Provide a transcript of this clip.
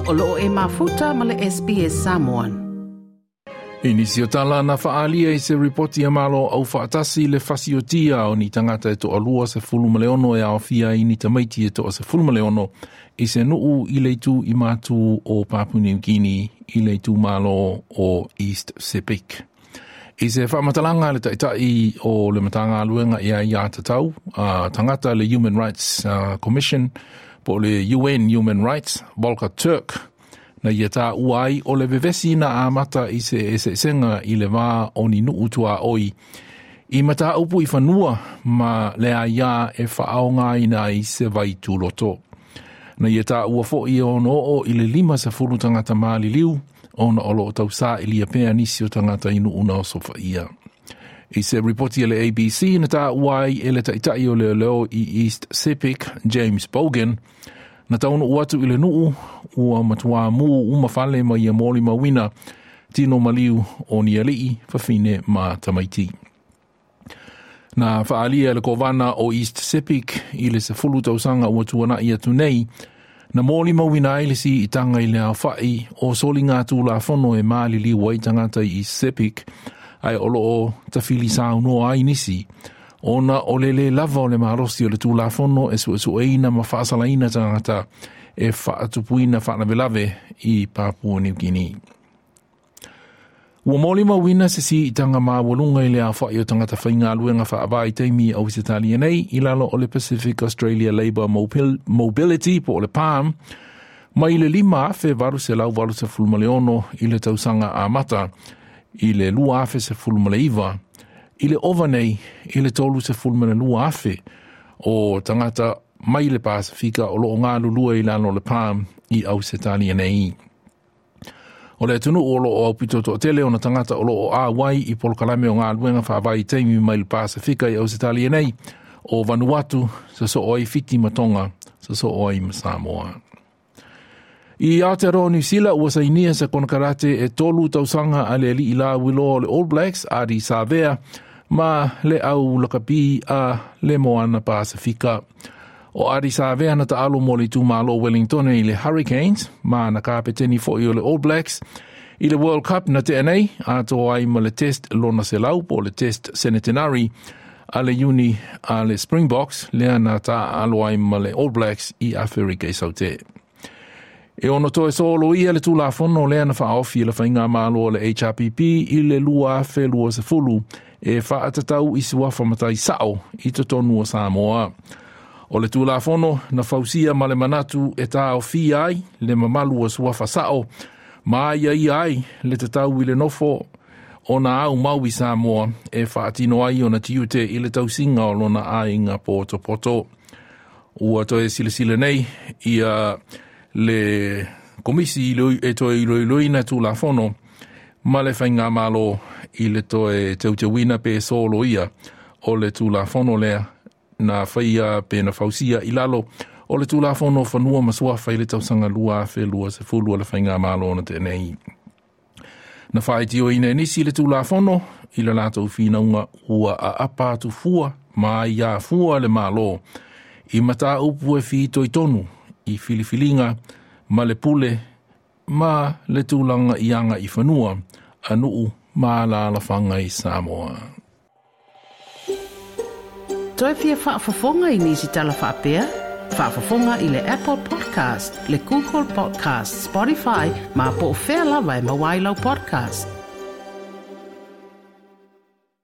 O loo e mafuta ma le SBS Samoan. I nisi o tala na faalia i se ripoti a Malo Aufaatasi le fasiotia o ni tagata e toalua 16 e aofia ai ni tamaiti e toa 16 i se nuu i le itu i matu o Papua New Guinea i le itumalo o East Sepik. I se faamatalaga le taitai o le Matagaluega i Aiatatau a Tagata le Human Rights Commission po o le UN Human Rights, Volker Turk, na ia taua ai o le vevesi na amata i se eseesega i le va o ni nuu tuaoi i mataupu i fanua ma le aia e faaaogaina ai se vai tuloto. Na ia taua foi e ono oo i le 50 tagata maliliu ona o loo tausailia pea nisi o tagata i nuu na osofaia. I se ripoti a le ABC na taua ai e le taitai o leoleo i East Sepik, James Bogan, na taunuu atu i le nuu ua matuā mū uma fale ma ia molimauina tino maliu o ni alii, fafine ma tamaiti. Na faaalia le kovana o East Sepik i le 10 tausaga ua tuanai atu nei, na molimauina ai le siitaga i le aofai o soligatulafono e maliliu ai tagata i East Sepik, ae o loo tafili saunoa ai nisi, ona o le lē lava o le malosi o le tulafono e suesueina ma faasalaina tagata e faatupuina faalavelave i Papua New Guinea. Ua molimauina se siitaga maualuga i le aofai o tagata faigaluega faavaitaimi i Ausetalia nei i lalo o le Pacific Australia Labour Mobility po o le PALM mai le 5886 i le tausaga amata i le 2019 i le ova nei i le 32,000 o tagata mai le Pasefika o loo galulue i lalo o le PALM i Ausetalia nei. O le atunuu o loo aupito toatele ona tagata o loo auai i polokalame o galuega faavaitaimi mai le Pasefika i Ausetalia nei, o Vanuatu, sosoo ai Fiti ma Tonga, sosoo ai ma Samoa. I Aotearoa Niu Sila ua sainia se konekarate e 3 tausaga a le alii lauiloa o le All Blacks Ardie Savea ma le au lakapi a le Moana Pasefika. O Ardie Savea na taalo mo le itumalo Wellington i le Hurricanes ma na kapeteni foi o le All Blacks i le World Cup na tea nei atoa ai ma le test lona selau po o le test centenary a le Iuni a le Springboks lea na taaalo ai ma le All Blacks i Aferika i Saute. E ono toe soloia le Tulafono lea na faaofi e le Faigamalo o le HRPP i le 2020 e faatatau i suafa matai sao i totonu o Samoa. O le Tulafono na fausia ma le manatu e taofia ai le mamalu o suafa sao ma aiaia ai le tatau i le nofo o na aumau i Samoa e faatino ai ona tiute i le tausiga o lona aiga potopoto. Ua toe silasila nei ia le komisi e toe iloiloina Tulafono ma le Faigamalo i le toe teuteuina pe soloia o le Tulafono lea na faia pe na fausia i lalo o le Tulafono Fanua ma Suafa i le tausaga 2020 o le Faigamalo na tenei. Na faitioina e nisi le Tulafono i le latou finauga ua aapa atu fua ma aiā fua le Malo i mataupu e fitoitonu i filifiliga ma le pule ma le tulaga i aga i fanua a nuu ma alaalafaga i Samoa. Toe fia faafofoga i nisi tala faapea? Faafofoga i le Apple Podcast, le Google Podcast, Spotify, ma po o fea lava e maua ai lau podcast.